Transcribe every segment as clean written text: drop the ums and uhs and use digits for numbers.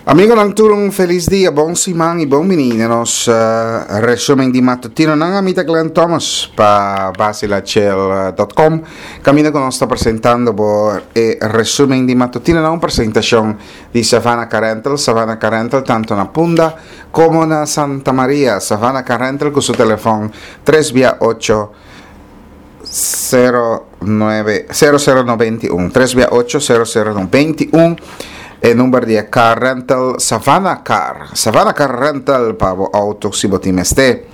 Amigonan tur un felis dia, bon siman y bon bini na nos resumen di matutinonan. Ami ta Glenn Thomas pa basilachel.com. Caminda cu nos ta presentando bo e resumen di matutinonan, un presentacion di Savannah Car Rental. Savannah Car Rental tanto na Punda como na Santa Maria. Savannah Car Rental cu su telefon tres bia ocho 0 9 0 0 91 3 bia 8 0 0 91 e number di e car rental Savannah Car Savannah Car Rental pa bo auto si bo tin mester.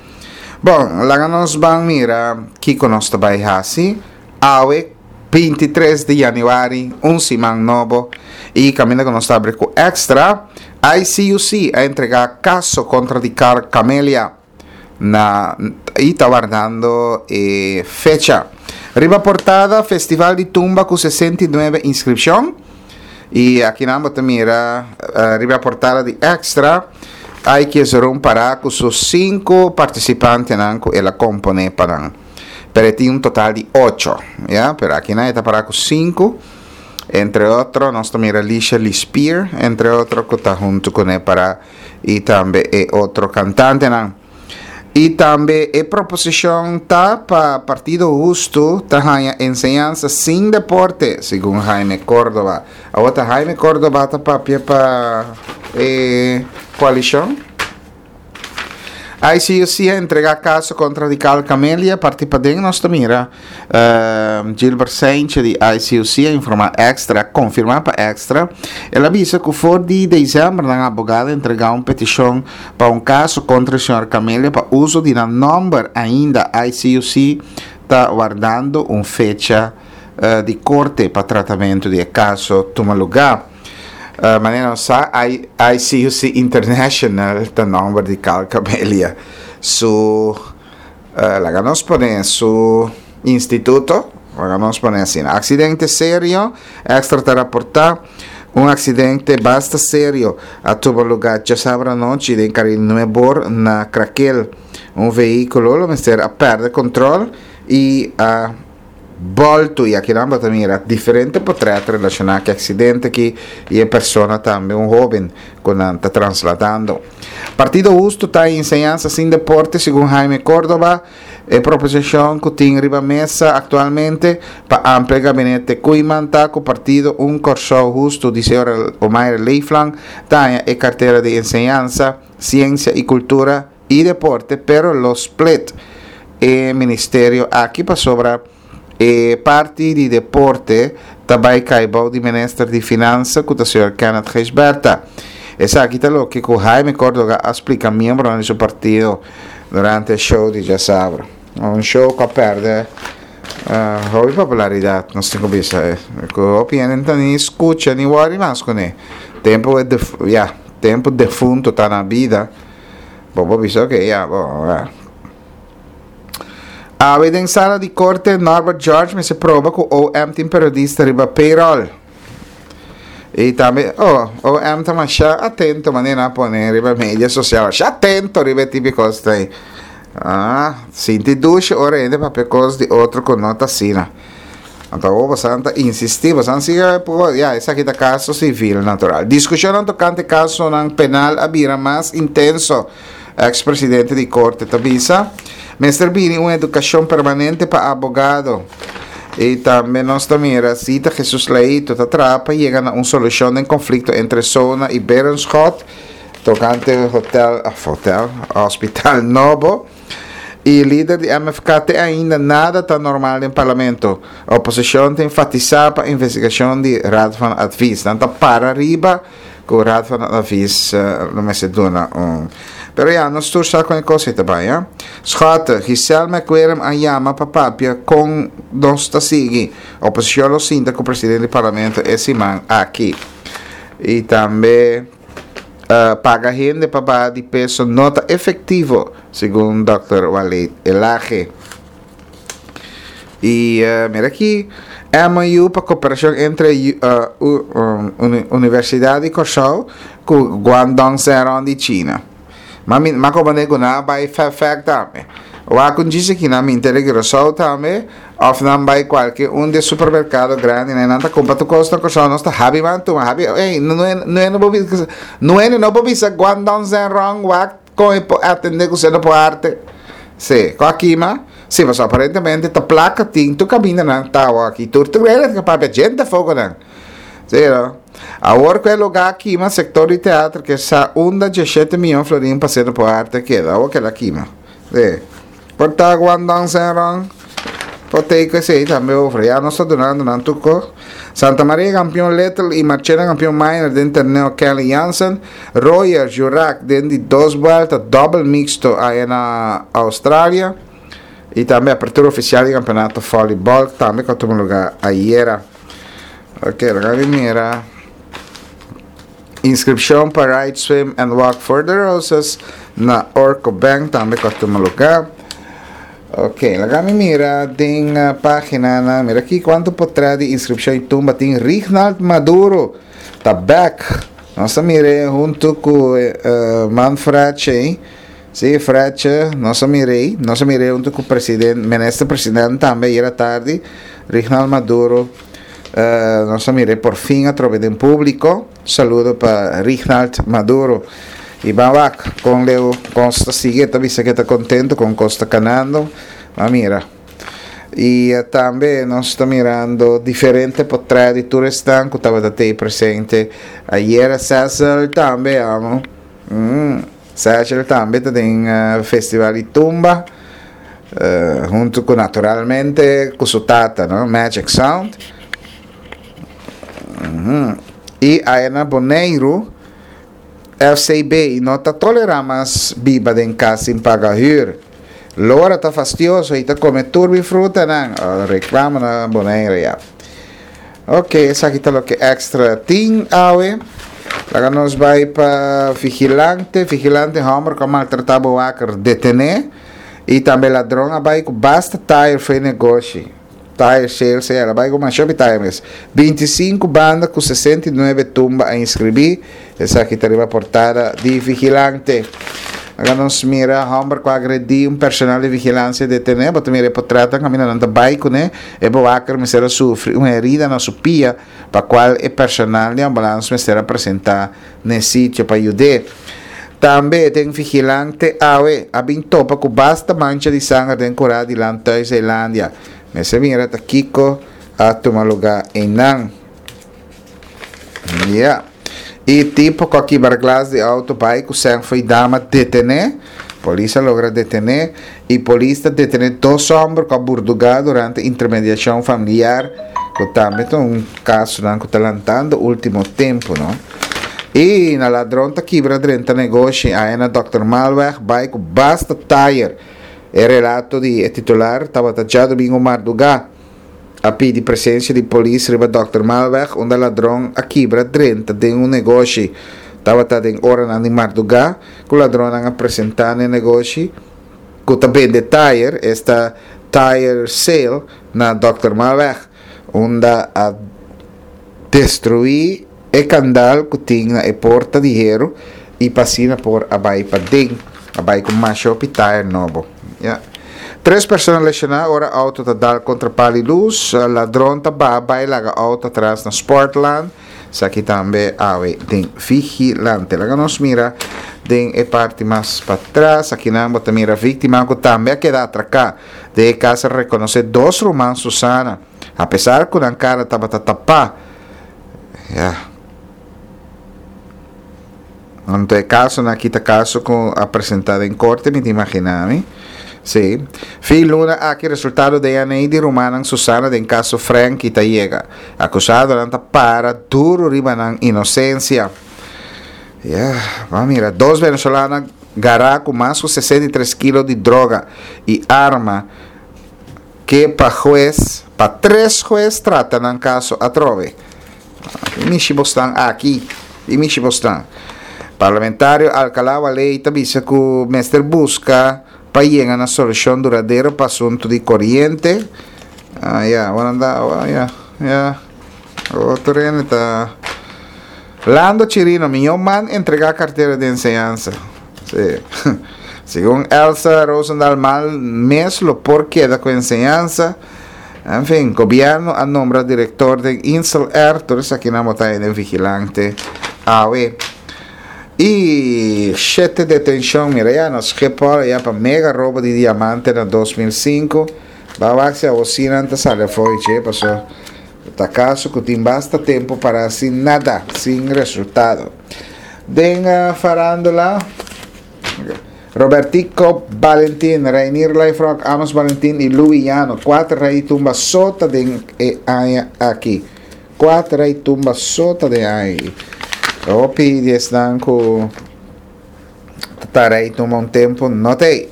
Bon, laga nos ban mira kiko nos ta bai hasi awe 23 di januari, un siman nobo y caminda cu nos ta abri cu extra ICUC a entrega caso contra di Car Camelia. na y ta wardando e fecha. Riba portada, Festival di Tumba cu 69 inscripcion. Y aki nan bo ta mira uh, riba portada di Extra, Aiki Ezeron para cu su cinco participantenan cu el a compone pa nan. Pero e tin un total di ocho, ya, pero aki nan e ta para cu cinco. Entre otro, nos ta mira Lisha Lispier, entre otro, cu ta hunto cune para y tambe e otro cantantenan. Y tambe e proposicion ta pa Partido Husto ta haña enseñansa sin deporte, segun Jaime Córdoba. Awor ta Jaime Córdoba ta papia pa e coalicion? ICUC a entrega caso contra Radical Camelia, parti paden nos ta mira Gilbert Seintje di ICUC a informa Extra, a confirma pa Extra. El a bisa cu for di december nan abogado a entrega un peticion pa un caso contra e señor Camelia pa uso di nan nomber. Ainda ICUC ta wardando un fecha di corte pa tratamento di e caso tuma lugar. Manera nos sa, ICUC International ta nomber di Carl Camelia su. Laga nos pone su instituto, laga nos pone asina. Accidente serio, Extra ta raporta un accidente basta serio a tuba lugar djasabra anochi den Carril Nuebor na Krakel. Un vehiculo lo mester a perde control y a Boltu y akinan bo ta mira diferente potret relaciona cu e accidente aki y e persona tambe un hoben cu nan ta trasladando. Partido Husto ta enseñansa sin deporte segun Jaime Cordoba e proposicion cu tin riba mesa actualmente pa amplia gabinete Koeiman ta cu partido Un Corsou Husto di señor Omaire Leeflang ta haña e cartera di enseñansa, ciencia y cultura y deporte pero lo split e ministerio aki pasobra e parti di deporte ta bay cay bou di minister di finansa cu ta señor Kenneth Gijsbertha. Esaki ta loke cu Jaime Cordoga a splica miembronan di su partido durante e show di djasabra. Un show cu a perde hopi popularidad nos tin cu bisa cu hopi hende no ta ni scucha ni worry mas cune. Tempo e ya tempo defunto ta na bida. Bo por bisa ok ya bo ya. Awe den sala di korte Norbert George mester proba ku OM tin periodista riba payroll. I tambe oh OM ta masha atento manera nan a pone riba media sosial masha atento riba e tipo di kos ei. Ah sinti dushi ora hende papia kos di otro ku no ta asina. Anto awor bosan ta insistí, bosan sigui por, ya, esaki ta kaso sivil natural. Diskushonnan tokante kasonan penal a bira mas intenso, eks presidente di korte ta bisa. Mester bini un edukashon permanente pa abogado. I tambe nos ta mira Zita Jesus Leito ta traha pa yega na un solushon den konflikto entre Sona i Berenschot tokante hotel, hotel, hospital nobo. Y lider di MFK te ainda nada ta normal den parlamento. Oposicion ta enfatisa pa investigacion di Raad van Advies. Nan ta para riba cu Raad van Advies lo mester duna un. Pero ya, nos tur sa con e cos ei ta bay, ya. Schotte, Giselle McWilliam a yama pa papia con nos ta sigui. Oposicion lo sinta cu presidente di parlamento e siman aki. Y tambe. Paga hende pa baha di peso no ta efectivo, segun Dòkter Waleed Elhage. Y mira aki, MOU pa cooperacion entre Universidad di Kòrsou ku Guangdong Zhenrong di China. Ma mi ma comprende ku nan a bai fèfèk tambe. Wak un djis aki nan minta di Curaçao tambe. Òf nan bai kualke un di e supermerkado grandinan i nan ta kumpra tur kos na Kòrsou. Nos ta habi man tuma, habi, ey, no no por bisa, no no por bisa Guangdong Zhenrong wak kon e por atendé ku seno por arte. Sí, ku a kima? Sí, pasobra aparentemente ta plaka tin tur kamindanan ta awor aki. Tur tur hende ta papia djente fogonan. Sí, no? Awor ku e lugá a kima, sektor di teatro ke sa unda dieshete mion florin pa seno por arte a keda. Awor keda kima. Sí. Por ta Guangdong Zhenrong por take esey tambe over. Ya nos ta dunando nan tur cos. Santa Maria campeon Little y Marchena campeon Minor den torneo Kenley Jansen. Royer Jurak den di dos buelta double mixto aya na Australia. Y tambe apertura oficial di campeonato volleyball tambe cu a tuma lugar ayera. Ok, laga mi mira. Inscripcion pa Ride, Swim and Walk for the Roses na Orco Bank tambe cu a tuma lugar. Ok, laga mi mira den paginanan. Mira aki cuanto potret di inscripcion y tumba tin. Rignald Maduro ta back. Nos a mir'e hunto cu Manfred Che. Si, Fred Che, nos a mir'e. Nos a mir'e hunto cu president, minister president tambe ayer atardi. Rignald Maduro. Nos a mir'é por fin atrobe den públiko. Saludo pa Rignald Maduro. I ban wak kon leu kos ta sigui. E ta bisa ku e ta kontentu kon kos ta kanando. Ban mira. I tambe nos ta mirando diferente potrèt di tur esnan ku tabata tei presente ayera. Cecil tambe amo. Cecil tambe ta den festival di tumba. Hunto cu naturalmente cu su tata, no? Magic Sound. Y aya na Boneiru, FCB no ta tolera mas biba den cas sin paga huur. Lora ta fastioso y ta come tur mi frutanan. Oh, reclamo na Boneiru ya. Ok, esaki ta loke extra tin awe. Laga nos bai pa vigilante. Vigilante homber cu a maltrata bewaker detene. Y tambe ladron a bai cu basta tire fo'i negoshi. Tire sales el a bai cu masha hopi tire mes. 25 banda cu 69 tumba a inscribi. Esaki ta riba portada di Vigilante. Laga nos mira homber cu a agredi un personal di vigilancia detene. Bo ta mira e potretnan caminda nan ta bai cune. E bewaker mester a sufri un herida na su pia pa cual e personal di ambulance mester a presenta n'e sitio pa yud'é. Tambe den Vigilante awe a bin topa cu basta mancha di sanger den cura di Landhuis Zeelandia. Mester mira ta kico a tuma lugar eynan. Ya. E tipo cu a kibra glas di auto bay cu sèn fo'i dama detené. Polis a logra detené y polis ta detené dos homber cu a burduga durante intermediacion familiar cu tambe ta un casonan cu ta lantando ultimo tempo no. Y na ladron ta kibra drenta negoshi aya na Dòkter Malweg bay cu basta tayer. E relato di e titular tabata djadomingo marduga. A pidi presencia di polis riba Dòkter Malweg unda ladron a kibra drenta den un negoshi. Tabata den oranan di marduga cu ladronnan a presenta n'e negoshi cu ta bende tayer, esta Tire Sale na Dòkter Malweg, unda a destrui e kandal ku tin na e porta di heru i pa asina por a bai paden, a bai ku masha hopi tayer nobo. Ya. Tres persona lesioná ora outo ta dal kontra pal di lus, ladron ta baha bai laga outo atras na Sportland, esaki tambe awe den Vigilante. Laga nos mira den e parti mas patras, akinan bo ta mira víktima ku tambe a keda atraká den e kas a rekonosé dos ruman Susana, apesar ku nan kara tabata tapá. Ya. Anto e kasonan aki ta kaso ku a presentá den korte, mi ta imaginá mi. Sí. Fin luna aki resultado DNA di rumannan Susana den kaso Franky ta yega. Akusadonan ta para duru riba nan inosensia. Ya, ban mira. Dos venezolano gará ku mas ku 63 kilo di droga i arma. Ke pa hues, pa tres hues trata nan kaso atrobe. I mishi bosnan aki, i mishi bosnan. Parlamentario Alcalá Waley ta bisa ku mester buska pa yega na solushon duradero pa asuntu di koriente. Ah, ya, ora anda, oh, ya, ya. Otro hende ta. Lando Chirino, mihó man entregá kartera di enseñansa. Sí. Segun Elsa Rozendal mal mes lo por keda ku enseñansa. En fin, gobierno a nombra director den Insel Air, tur esakinan bo ta haya den Vigilante awe. Y shete detencion, mira ya na Schiphol ya pa mega robo di diamante na 2005. Ba wak si awo si nan ta sali afo y che, paso ta caso cu tin basta tempo para sin nada, sin resultado. Den farandula, Robertico Balentin, Reinier Lijfrock, Amos Balentin y Louis Llano, cuater rey tumba so ta den e aña aki. Cuater rey tumba so ta den aña aki. Hopi di esnan cu ta rey tumba un tempo no ta ey.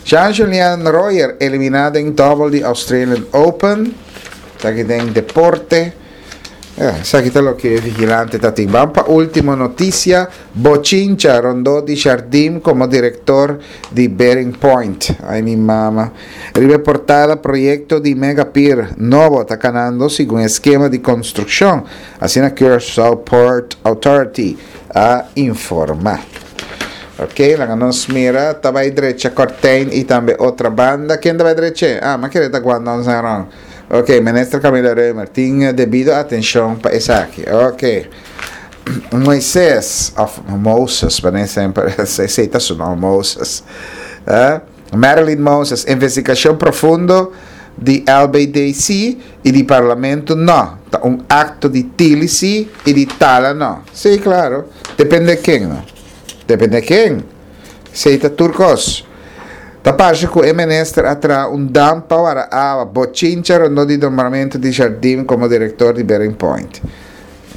Jean-Julien Royer elimina den double di Australian Open. Esaki den deporte. Esaki ta loke e vigilante ta tin. Ban pa ultimo noticia. Bochincha rondó di Jardim como director di Bearing Point. Ay mi mama. Riba e portada proyecto di Mega Pier nobo ta canando segun e skema di construccion. Asina Curaçao Port Authority a informa. Ok, laga nos mira. Ta bay drecha Cortijn y tambe otra banda. Ken ta bay dreche? Ah, mi a kere ta Guandong Zhenrong. Ok, Minister Camila Römer tin debido atencion pa esaki. Ok. Moises, of Moses, wanneer semper, esey ta su nom, Moses. Eh? Marilyn Moses, investigacion profundo di LBDC y di Parlamento no. Ta un acto di tili si y di tala no. Sí, claro. Depende ken, no. Depende ken. Esey ta tur cos. Ta parce cu e minister a traha un dam pa wara awa, bochincha rondó di nombramento di Jardim como director di Bearing Point.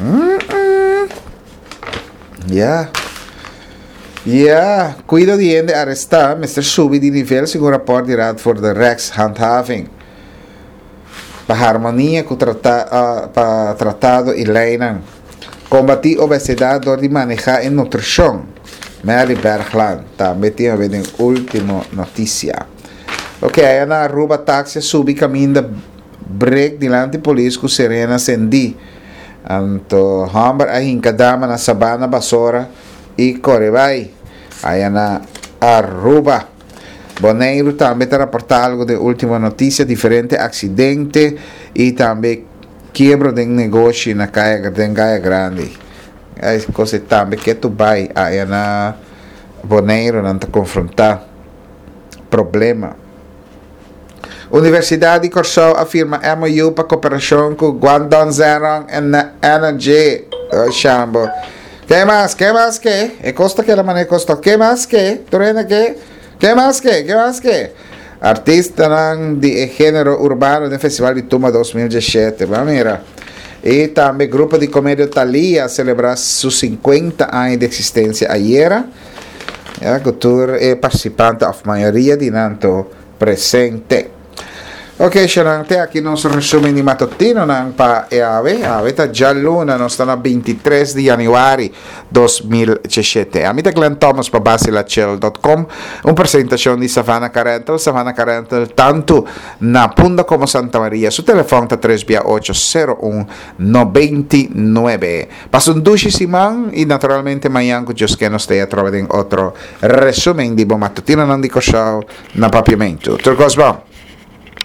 Mm-mm. Ya. Ya, cuido di hende aresta mester subi di nivel segun rapport di Raad voor de Rechtshandhaving. Pa harmonia cu trata, uh, pa tratado y leynan. Kombatí obesidad dor di manehá e nutrishon. Mary Bergland tambe tin haber den último notisia. Ok, aya na Aruba taxi a subi kaminda brek dilanti polis ku sirena sendí. Anto hòmber a hinka dama na Sabana Basora i kore bai. Aya na Aruba. Boneiru tambe ta raportá algu den último notisia, diferente aksidente i tambe Kiebro den negoshi na kaya den Gaya Grandi. E kos ei tambe ketu bai aya na Boneiru nan ta konfrontá problema. Universidat di Kòrsou a firma MOU pa koperashon ku Guangdong Zhenrong Energy. Oh shambo. Ke mas? Ke mas ke? E kos ta keda manera e kos ta. Ke mas ke? Tur hende ke? Ke mas ke? Ke mas ke? Artistanan di e genero urbano den Festival di Tumba 2017. Bo a mira. I tambe grupo di komedio Thalia a selebrá su 50 aña di eksistensia ayera. Ya ku tur e partisipante òf mayoria di nan to presente. Ok, Shanan, te aki nos resumen di matutinonan pa e awe. Awe ta djaluna, nos ta na 23 di januari 2017. Ami ta Glenn Thomas pa basilachel dot com, un presentacion di Savannah Car Rental. Savannah Car Rental tanto na Punda como Santa Maria. Su telefon ta tres bia ocho sero un nobenti nuebe. Pasa un dushi siman y naturalmente mañan cu Dios ke nos ta atrobe den otro resumen di bo matutinonan di Kòrsou na Papiamentu. Tur kos bon.